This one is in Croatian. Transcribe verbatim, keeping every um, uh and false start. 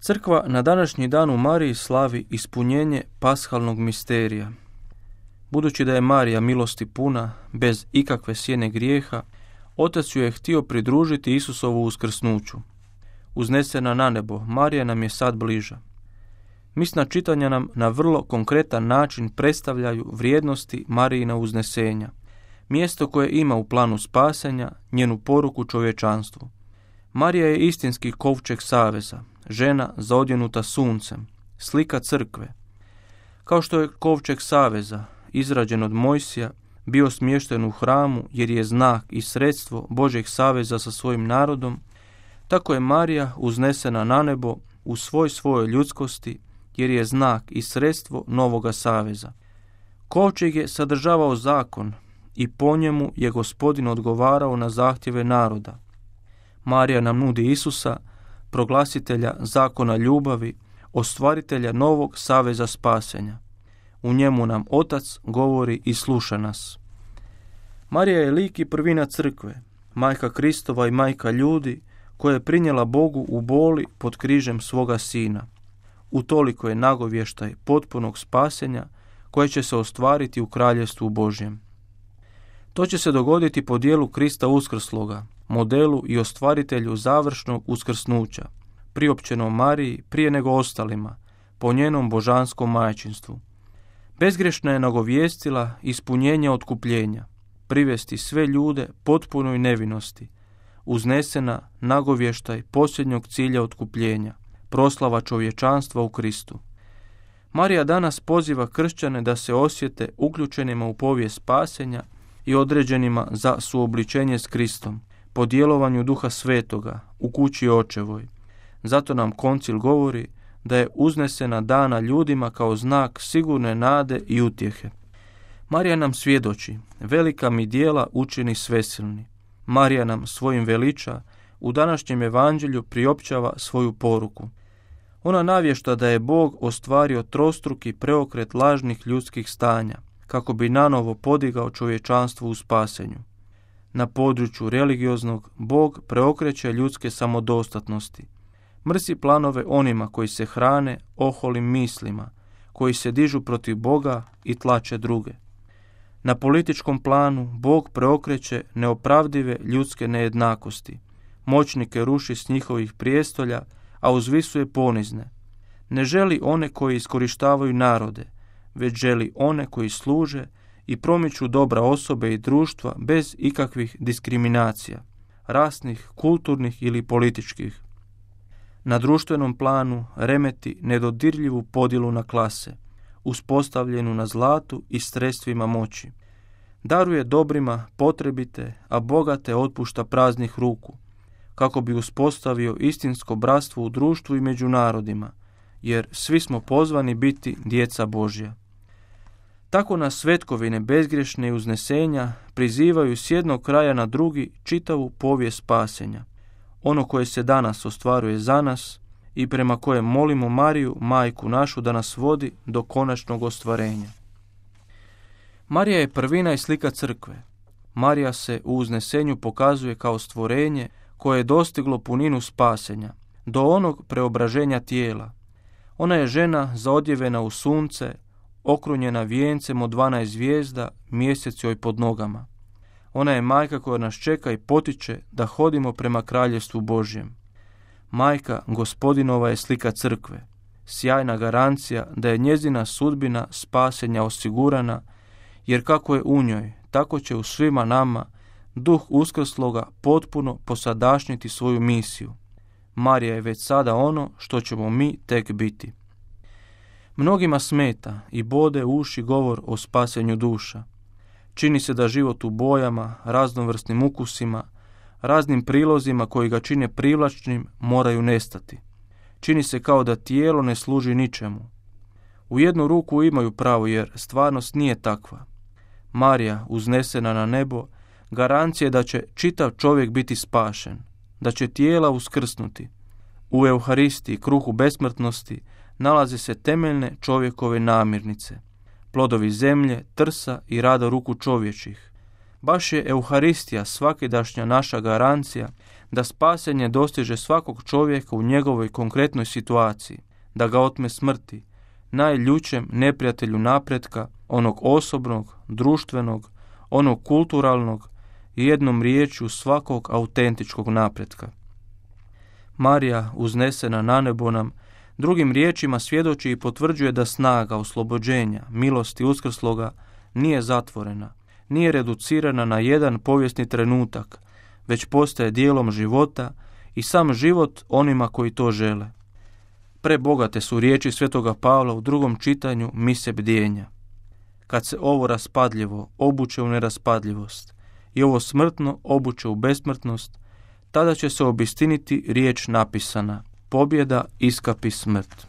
Crkva na današnji dan u Mariji slavi ispunjenje pashalnog misterija. Budući da je Marija milosti puna, bez ikakve sjene grijeha, Otac ju je htio pridružiti Isusovu uskrsnuću. Uznesena na nebo, Marija nam je sad bliža. Misna čitanja nam na vrlo konkretan način predstavljaju vrijednosti Marijina uznesenja, mjesto koje ima u planu spasenja, njenu poruku čovječanstvu. Marija je istinski kovčeg saveza, žena zaodjenuta suncem, slika crkve. Kao što je kovčeg saveza, izrađen od Mojsija, bio smješten u hramu jer je znak i sredstvo Božjeg saveza sa svojim narodom, tako je Marija uznesena na nebo u svoj svojoj ljudskosti jer je znak i sredstvo novoga saveza. Kovčeg je sadržavao zakon i po njemu je Gospodin odgovarao na zahtjeve naroda. Marija nam nudi Isusa, proglasitelja zakona ljubavi, ostvaritelja novog saveza spasenja. U njemu nam Otac govori i sluša nas. Marija je lik i prvina crkve, majka Kristova i majka ljudi, koja je prinijela Bogu u boli pod križem svoga sina. Utoliko je nagovještaj potpunog spasenja koje će se ostvariti u kraljevstvu Božjem. To će se dogoditi po dijelu Krista uskrsloga, modelu i ostvaritelju završnog uskrsnuća, priopćenom Mariji prije nego ostalima, po njenom božanskom majčinstvu. Bezgrešna je nagovijestila ispunjenje otkupljenja, privesti sve ljude potpunoj nevinosti, uznesena nagovještaj posljednjeg cilja otkupljenja, proslava čovječanstva u Kristu. Marija danas poziva kršćane da se osjete uključenima u povijest spasenja i određenima za suobličenje s Kristom, po djelovanju Duha Svetoga u kući Očevoj. Zato nam koncil govori da je uznesena dana ljudima kao znak sigurne nade i utjehe. Marija nam svjedoči, velika mi djela učini svesilni. Marija nam svojim veliča u današnjem evanđelju priopćava svoju poruku. Ona navješta da je Bog ostvario trostruki preokret lažnih ljudskih stanja, kako bi nanovo podigao čovječanstvo u spasenju. Na području religioznog Bog preokreće ljudske samodostatnosti. Mrsi planove onima koji se hrane oholim mislima, koji se dižu protiv Boga i tlače druge. Na političkom planu Bog preokreće neopravdive ljudske nejednakosti. Moćnike ruši s njihovih prijestolja, a uzvisuje ponizne. Ne želi one koji iskorištavaju narode, već želi one koji služe i promiču dobra osobe i društva bez ikakvih diskriminacija, rasnih, kulturnih ili političkih. Na društvenom planu remeti nedodirljivu podjelu na klase, uspostavljenu na zlatu i sredstvima moći. Daruje dobrima potrebite, a bogate otpušta praznih ruku, kako bi uspostavio istinsko bratstvo u društvu i među narodima, jer svi smo pozvani biti djeca Božja. Tako nas svetkovine bezgrešne i uznesenja prizivaju s jednog kraja na drugi čitavu povijest spasenja, ono koje se danas ostvaruje za nas i prema kojem molimo Mariju, majku našu, da nas vodi do konačnog ostvarenja. Marija je prvina i slika crkve. Marija se u uznesenju pokazuje kao stvorenje koje je dostiglo puninu spasenja, do onog preobraženja tijela. Ona je žena zaodjevena u sunce, okrunjena vijencem od dvanaest zvijezda, mjesec joj pod nogama. Ona je majka koja nas čeka i potiče da hodimo prema kraljevstvu Božjem. Majka Gospodinova je slika crkve, sjajna garancija da je njezina sudbina spasenja osigurana, jer kako je u njoj, tako će u svima nama Duh uskrsloga potpuno posadašnjiti svoju misiju. Marija je već sada ono što ćemo mi tek biti. Mnogima smeta i bode uši govor o spasenju duša. Čini se da život u bojama, raznovrsnim ukusima, raznim prilozima koji ga čine privlačnim moraju nestati. Čini se kao da tijelo ne služi ničemu. U jednu ruku imaju pravo jer stvarnost nije takva. Marija, uznesena na nebo, garancija je da će čitav čovjek biti spašen, da će tijela uskrsnuti. U Euharistiji, kruhu besmrtnosti, nalaze se temeljne čovjekove namirnice, plodovi zemlje, trsa i rada ruku čovječih. Baš je Euharistija svakidašnja naša garancija da spasenje dostiže svakog čovjeka u njegovoj konkretnoj situaciji, da ga otme smrti, najljućem neprijatelju napretka, onog osobnog, društvenog, onog kulturalnog i jednom riječju svakog autentičkog napretka. Marija, uznesena na nebo, nam drugim riječima svjedoči i potvrđuje da snaga oslobođenja, milosti uskrsloga nije zatvorena, nije reducirana na jedan povijesni trenutak, već postaje dijelom života i sam život onima koji to žele. Prebogate su riječi svetoga Pavla u drugom čitanju mise bdjenja. Kad se ovo raspadljivo obuče u neraspadljivost i ovo smrtno obuče u besmrtnost, tada će se obistiniti riječ napisana: pobjeda iskapi smrt.